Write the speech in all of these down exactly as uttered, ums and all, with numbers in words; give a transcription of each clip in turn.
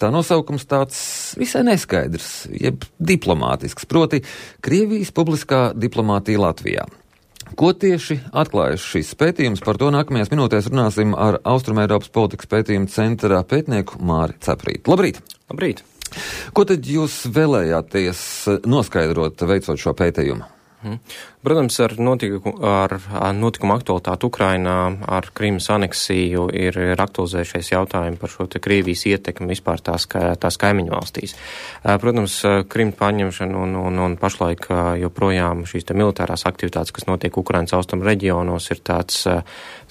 Tā nosaukums tāds visai neskaidrs, jeb diplomātisks, proti Krievijas publiskā diplomātija Latvijā. Ko tieši atklājas šis pētījums? Par to nākamajās minūtēs runāsim ar Austrumeiropas politikas pētījuma centra pētnieku Māri Ceprīti. Labrīt! Labrīt! Ko tad jūs vēlējāties noskaidrot, veicot šo pētījumu? Hmm. Protams, ar notikumu, ar notikumu aktualitāti Ukrainā, ar Krimas aneksiju ir, ir aktualizējušies jautājumi par šo te Krievijas ietekmi vispār tās, tās kaimiņu valstīs. Protams, Krimas paņemšana un, un, un pašlaik joprojām šīs te militārās aktivitātes, kas notiek Ukrainas austrumu reģionos, ir tāds,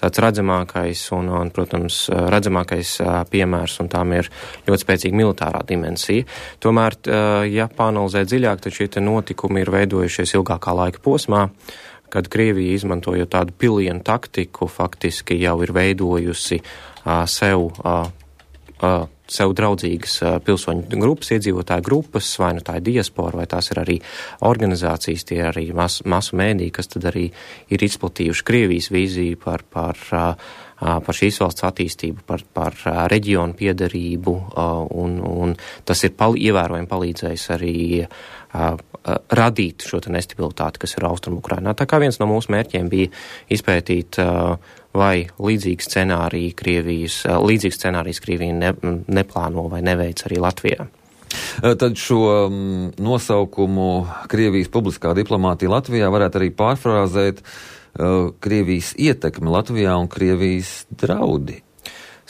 tāds redzamākais un, un, protams, redzamākais piemērs, un tām ir ļoti spēcīga militārā dimensija. Tomēr, ja pāanalizē dziļāk, tad šie te notikumi ir veidojušies ilgākā laika posmā, kad Krievija, izmantojot tādu pilienu taktiku, faktiski jau ir veidojusi uh, sev, uh, uh, sev draudzīgas uh, pilsoņu grupas, iedzīvotāju grupas, vai nu tā ir diaspora, vai tās ir arī organizācijas, tie arī mas, masu mēdī, kas tad arī ir izplatījuši Krievijas vīziju par, par, uh, par šīs valsts attīstību, par, par uh, reģionu piederību, uh, un, un tas ir pal- ievērojami palīdzējis arī uh, radīt šo te nestabilitāti, kas ir Austrumu Ukrainā. Tā kā viens no mūsu mērķiem bija izpētīt, vai līdzīgi scenāriji Krievijas, līdzīgi scenārijas Krievija ne, neplāno vai neveic arī Latvijā. Tad šo nosaukumu Krievijas publiskā diplomātija Latvijā varētu arī pārfrāzēt Krievijas ietekme Latvijā un Krievijas draudi.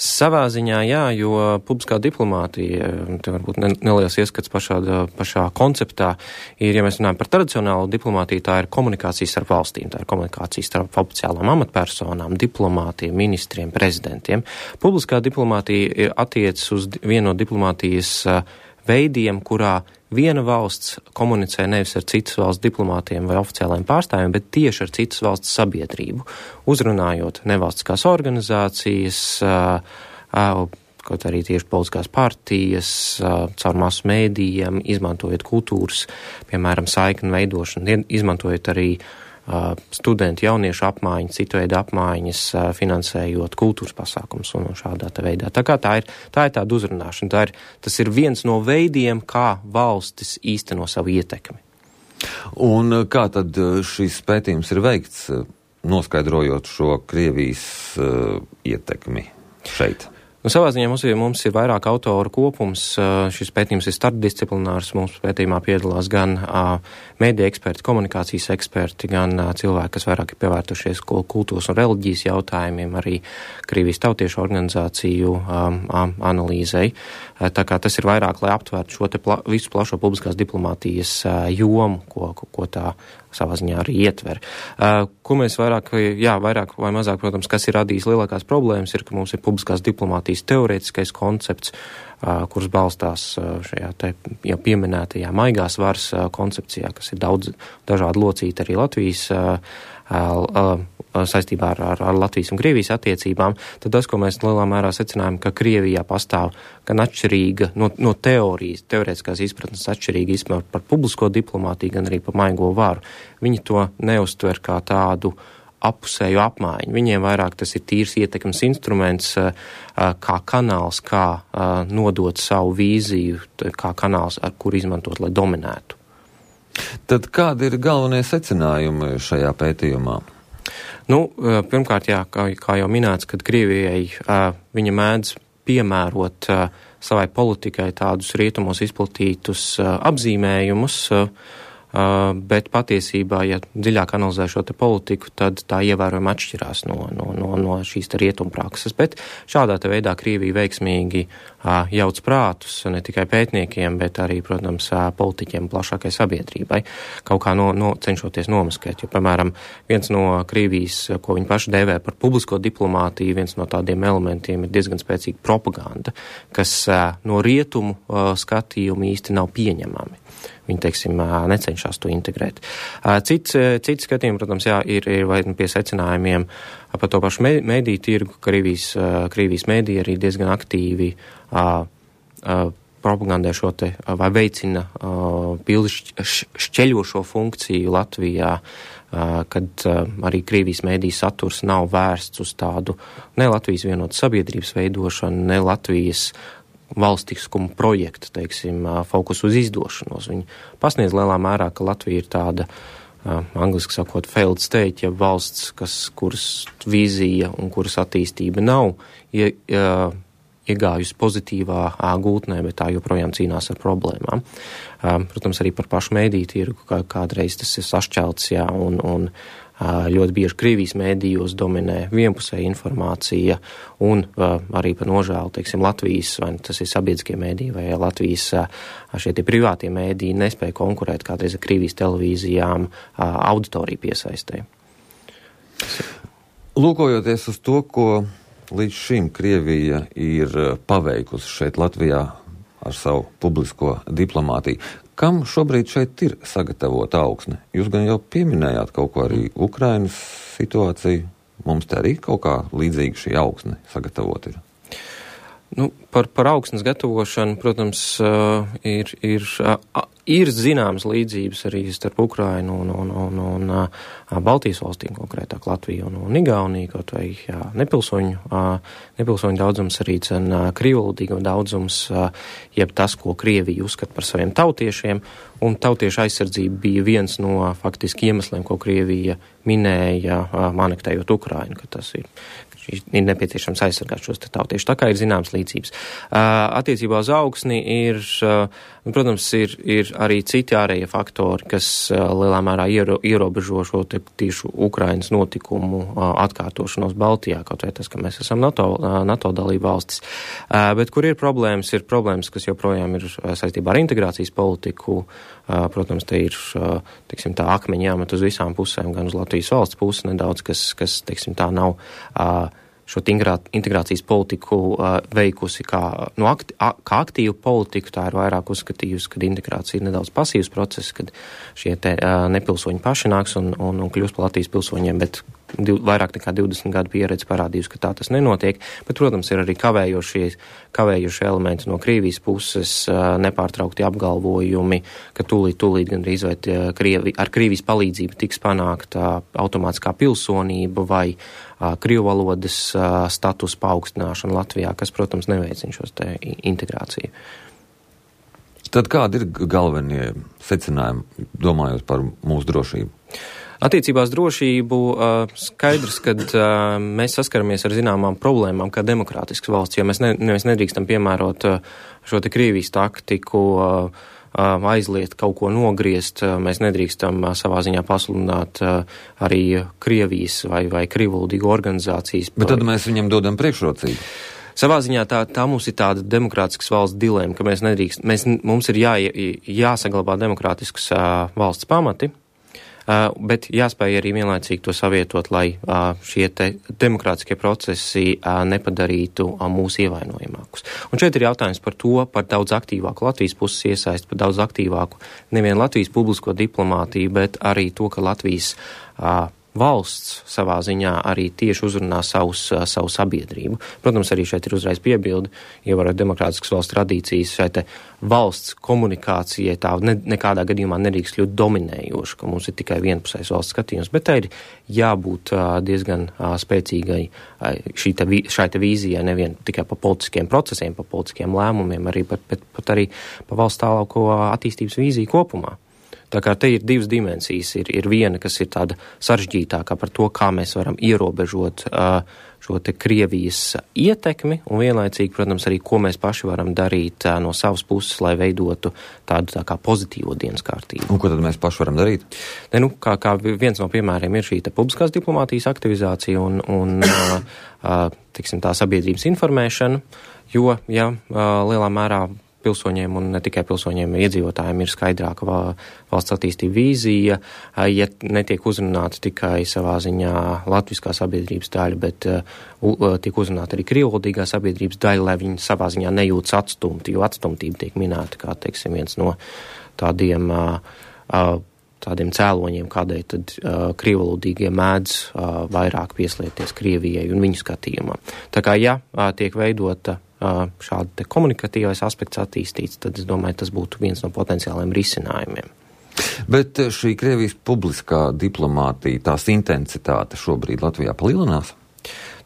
Savā ziņā, jā, jo publiskā diplomātija, te varbūt neliels ieskats pašā, pašā konceptā, ir, ja mēs runājam par tradicionālu diplomātiju, tā ir komunikācija starp valstīm, tā ir komunikācija starp oficiālām amatpersonām, diplomātiem, ministriem, prezidentiem. Publiskā diplomātija attiecas uz vienu no diplomātijas veidiem, kurā viena valsts komunicē nevis ar citas valsts diplomātiem vai oficiālajiem pārstāvjiem, bet tieši ar citas valsts sabiedrību, uzrunājot nevalstiskās organizācijas, kaut arī tieši politiskās partijas, caur masu mēdījiem, izmantojot kultūras, piemēram, saikņu veidošanu, izmantojot arī studentu jauniešu apmaiņas, citu veidu apmaiņas, finansējot kultūras pasākums un šādā tā veidā. Tā kā tā ir, tā ir tāda uzrunāšana, tā ir, tas ir viens no veidiem, kā valstis īsteno savu ietekmi. Un kā tad šis pētījums ir veikts, noskaidrojot šo Krievijas uh, ietekmi šeit? Nu, savā ziņā mums ir, mums ir vairāk autoru kopums, šis pētījums ir starpdisciplinārs, mums pētījumā piedalās gan mēdīja eksperti, komunikācijas eksperti, gan cilvēki, kas vairāk ir pievērtušies kultūras un reliģijas jautājumiem, arī Krievijas tautiešu organizāciju analīzei. Tā kā tas ir vairāk, lai aptvērtu šo te pla, visu plašo publiskās diplomātijas jomu, ko, ko tā savā ziņā arī ietver. Uh, ko mēs vairāk, jā, vairāk vai mazāk, protams, kas ir radījis lielākās problēmas, ir, ka mums ir publiskās diplomātijas teorētiskais koncepts, uh, kurš balstās uh, šajā te jau pieminētajā maigās varas uh, koncepcijā, kas ir daudz dažādi locīti arī Latvijas uh, uh, saistībā ar, ar, ar Latvijas un Krievijas attiecībām, tad tas, ko mēs lielā mērā secinājām, ka Krievijā pastāv gan atšķirīga no, no teorijas, teorētiskās izpratnes atšķirīga izpratne par publisko diplomātiju, gan arī par maigo varu. Viņi to neuztver kā tādu apusēju apmaiņu. Viņiem vairāk tas ir tīrs ietekmes instruments, kā kanāls, kā nodot savu vīziju, kā kanāls, ar kur izmantot, lai dominētu. Tad kādi ir galvenie secinājumi šajā pētījumā? Nu, pirmkārt, jā, kā, kā jau minēts, kad Krievijai viņa mēdz piemērot savai politikai tādus rietumos izplatītus apzīmējumus, bet patiesībā, ja dziļāk analizē šo te politiku, tad tā ievērojami atšķirās no, no, no, no šīs te rietumprakses. Bet šādā te veidā Krievija veiksmīgi jauc prātus ne tikai pētniekiem, bet arī, protams, politiķiem plašākai sabiedrībai, kaut kā no, no, cenšoties nomaskēt. Jo, piemēram, viens no Krievijas, ko viņi paši dēvē par publisko diplomātiju, viens no tādiem elementiem ir diezgan spēcīga propaganda, kas no rietumu skatījuma īsti nav pieņemami. Viņi, teiksim, necenšas to integrēt. Cits, cits skatījumi, protams, jā, ir, ir vai pie secinājumiem par to pašu mēdīju tirgu, ka Krievijas, Krievijas mēdīja arī diezgan aktīvi a, a, propagandē šo te, vai veicina pildi šķeļošo funkciju Latvijā, a, kad a, arī Krievijas mēdīja saturs nav vērsts uz tādu ne Latvijas vienotas sabiedrības veidošanu, ne Latvijas valstiskuma projekta, teiksim, fokus uz izdošanos. Viņi pasniedz lielā mērā, ka Latvija ir tāda, uh, angliski sakot, failed state, ja valsts, kas, kuras vīzija un kuras attīstība nav ie, uh, iegājusi pozitīvā uh, gultnē, bet tā joprojām cīnās ar problēmām. Uh, protams, arī par pašu mēdīju tirgu, kā, kādreiz tas ir sašķelts, jā, un, un ļoti bieži Krievijas mēdījos dominē vienpusēja informācija un uh, arī par nožēlu, teiksim, Latvijas, vai tas ir sabiedriskie mēdīji, vai Latvijas uh, šie tie privātie mēdīji nespēja konkurēt kādreiz ar Krievijas televīzijām uh, auditoriju piesaistē. Lūkojoties uz to, ko līdz šim Krievija ir paveikusi šeit Latvijā ar savu publisko diplomātiju, kam šobrīd šeit ir sagatavota augsne? Jūs gan jau pieminējāt kaut ko arī Ukrainas situāciju. Mums te arī kaut kā līdzīga šī augsne sagatavota ir. Nu, par, par augsnes gatavošanu, protams, uh, ir, ir, uh, ir zināmas līdzības arī starp Ukrainu un, un, un, un uh, Baltijas valstīm, konkrētāk Latviju un, un Igauniju, kaut vai jā, nepilsoņu, uh, nepilsoņu daudzums arī cen uh, krīvvalodīgo daudzums, uh, jeb tas, ko Krievija uzskata par saviem tautiešiem, un tautiešu aizsardzība bija viens no faktiski iemesliem, ko Krievija minēja uh, anektējot Ukrainu, ka tas ir ir nepieciešams aizsargāt šos tautiešus. Tā kā ir zināmas līdzības. Uh, attiecībā uz augsni ir, uh, protams, ir, ir arī citi ārējie faktori, kas uh, lielā mērā iero, ierobežo šo te tieši Ukrainas notikumu uh, atkārtošanos Baltijā, kaut vai tas, ka mēs esam NATO, uh, NATO dalība valstis. Uh, bet kur ir problēmas, ir problēmas, kas joprojām ir uh, saistībā ar integrācijas politiku. Uh, protams, te ir, uh, teiksim, tā akmeņi jāmet uz visām pusēm, gan uz Latvijas valsts pusi nedaudz, kas, kas teiksim, tā nav uh, šo integrācijas politiku uh, veikusi kā, nu, akti, a, kā aktīvu politiku, tā ir vairāk uzskatījusi, kad integrācija ir nedaudz pasīvs process, kad šie te uh, nepilsoņi paši nāks un, un, un kļūst par Latvijas pilsoņiem, bet div, vairāk nekā divdesmit gadu pieredze parādījusi, ka tā tas nenotiek. Bet, protams, ir arī kavējošie, kavējošie elementi no Krievijas puses, uh, nepārtraukti apgalvojumi, ka tūlīt, tūlīt gandrīz vai Krievi, ar Krievijas palīdzību tiks panākta automātiskā pilsonība vai Krievu valodas uh, status paaugstināšana Latvijā, kas, protams, neveicina šos te integrāciju. Tad kādi ir galvenie secinājumi, domājot par mūsu drošību? Attiecībās drošību uh, skaidrs, kad uh, mēs saskaramies ar zināmām problēmām kā demokrātisks valsts, jo mēs, ne, mēs nedrīkstam piemērot uh, šo te Krievijas taktiku, uh, aizliet kaut ko nogriezt, mēs nedrīkstam savā ziņā pasludināt arī Krievijas vai, vai krīvvalodīgu organizācijas. Bet tad mēs viņam dodam priekšrocību. Savā ziņā tā, tā mums ir tāda demokrātiskas valsts dilēma, ka mēs nedrīkst, mēs, mums ir jā, jāsaglabā demokrātiskas valsts pamati, Uh, bet jāspēj arī vienlaicīgi to savietot, lai uh, šie te demokrātiskie procesi uh, nepadarītu uh, mūsu ievainojamākus. Un šeit ir jautājums par to, par daudz aktīvāku Latvijas puses iesaisti, par daudz aktīvāku nevien Latvijas publisko diplomātiju, bet arī to, ka Latvijas uh, valsts savā ziņā arī tieši uzrunā savus, savu sabiedrību. Protams, arī šeit ir uzreiz piebildi, ievarot demokrātiskas valsts tradīcijas, šeit valsts komunikācijai tā ne, nekādā gadījumā nedrīkst kļūt dominējoša, ka mums ir tikai vienpusējs valsts skatījums, bet tā ir jābūt uh, diezgan uh, spēcīgai uh, šī te, šai te vīzijai nevien tikai pa politiskiem procesiem, pa politiskiem lēmumiem, arī pat, pat, pat arī pa valsts tālāko attīstības vīziju kopumā. Tā kā te ir divas dimensijas. Ir, ir viena, kas ir tāda sarežģītākā par to, kā mēs varam ierobežot uh, šo te Krievijas ietekmi, un vienlaicīgi, protams, arī, ko mēs paši varam darīt uh, no savas puses, lai veidotu tādu tā kā pozitīvo dienas kārtību. Un ko tad mēs paši varam darīt? Ne, nu, kā, kā viens no piemēriem ir šī te publiskās diplomātijas aktivizācija un, un uh, uh, tiksim, tā sabiedrības informēšana, jo, ja, uh, lielā mērā pilsoņiem un ne tikai pilsoņiem iedzīvotājiem ir skaidrāka valsts attīstība vīzija, ja netiek uzrunāta tikai savā ziņā latviskā sabiedrības daļa, bet uh, tiek uzrunāta arī krīvvalodīgā sabiedrības daļa, lai viņi savā ziņā nejūtas atstumti, jo atstumtība tiek minēta kā, teiksim, viens no tādiem uh, uh, tādiem cēloņiem, kādēļ tad uh, krīvvalodīgie mēdz uh, vairāk pieslieties Krievijai un viņu skatījumā. Tā kā, ja uh, tiek veidota šāda te komunikatīvais aspekts attīstīts, tad es domāju, tas būtu viens no potenciāliem risinājumiem. Bet šī Krievijas publiskā diplomātija, tās intensitāte šobrīd Latvijā palielinās?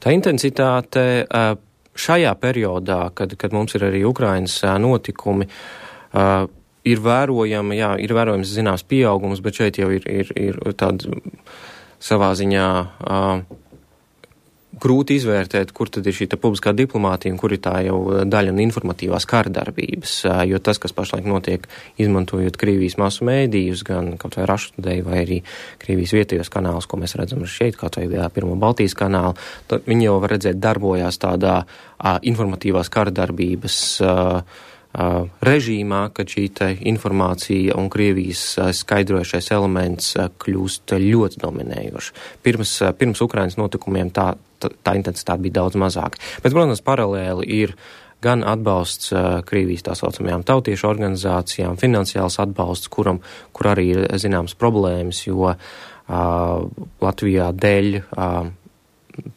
Tā intensitāte uh, šajā periodā, kad, kad mums ir arī Ukrainas notikumi, uh, ir vērojama, jā, ir vērojams zināms pieaugums, bet šeit jau ir, ir, ir tāda savā ziņā uh, grūti izvērtēt, kur tad ir šī publiskā diplomātija un kur ir tā jau daļa un informatīvās kārdarbības, jo tas, kas pašlaik notiek, izmantojot Krievijas masu mēdījus, gan kaut vai Raštudeju vai arī Krievijas vietējos kanālus, ko mēs redzam šeit, kaut vai jā, pirmo Baltijas kanālu, tad viņi jau var redzēt darbojās tādā a, informatīvās kārdarbības a, a, režīmā, kad šī te informācija un Krievijas a, skaidrojušais elements a, kļūst ļoti dominējoši. Pirms, a, pirms Ukrainas notikumiem tā tā intensitāte bija daudz mazāka. Bet, protams, paralēli ir gan atbalsts uh, Krievijas tā saucamajām tautiešu organizācijām, finansiāls atbalsts, kuram, kur arī ir zināmas problēmas, jo uh, Latvijā dēļ uh,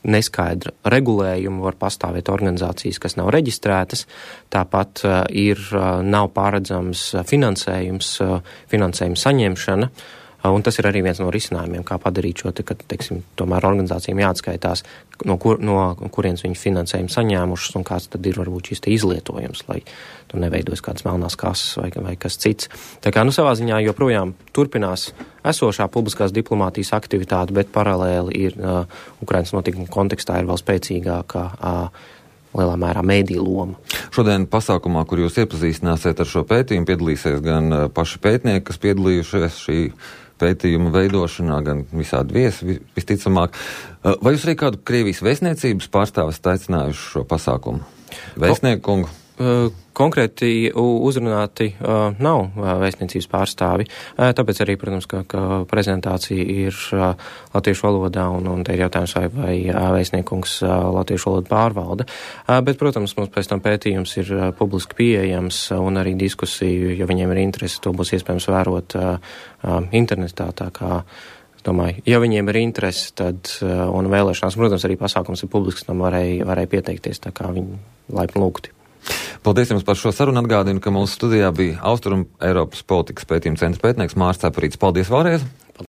neskaidra regulējuma var pastāvēt organizācijas, kas nav reģistrētas, tāpat uh, ir, uh, nav pārredzams finansējums, uh, finansējuma saņemšana, un tas ir arī viens no risinājumiem, kā padarīt šo, te, ka, teiksim, tomēr organizācijām jāatskaitās, no, kur, no kurienes viņi finansējumu saņēmušas un kāds tad ir varbūt šis te izlietojums, lai tur neveidojas kādas melnās kases vai, vai kas cits. Tā kā, nu, savā ziņā joprojām turpinās esošā publiskās diplomātijas aktivitāte, bet paralēli ir uh, Ukrainas notikuma kontekstā ir vēl spēcīgākā uh, lielā mērā mēdīju loma. Šodien pasākumā, kur jūs iepazīstināsiet ar šo pētījumu, piedalīsies gan uh, paši pētnieki, kas piedalījušies šī pētījuma veidošanā, gan visādi viesi, visticamāk. Vai jūs arī kādu Krievijas vēstniecības pārstāvis aicinājuši šo pasākumu? Vēstnieku kungu? Konkrēti uzrunāti uh, nav vēstniecības pārstāvi, uh, tāpēc arī, protams, ka, ka prezentācija ir uh, latviešu valodā un, un te ir jautājums, vai, vai uh, vēstniekungs uh, latviešu valodu pārvalda. Uh, bet, protams, mums pēc tam pētījums ir uh, publiski pieejams uh, un arī diskusiju, ja viņiem ir interesi, to būs iespējams vērot uh, uh, internetā, tā kā domāju, ja viņiem ir interesi, tad uh, un vēlēšanās, protams, arī pasākums ir publisks, tam varēja, varēja pieteikties, tā kā viņi laipni lūgti. Paldies jums par šo sarunu. Atgādinu, ka mūsu studijā bija Austrum Eiropas politikas pētījuma centra pētnieks Māris Cepurītis. Paldies vēlreiz!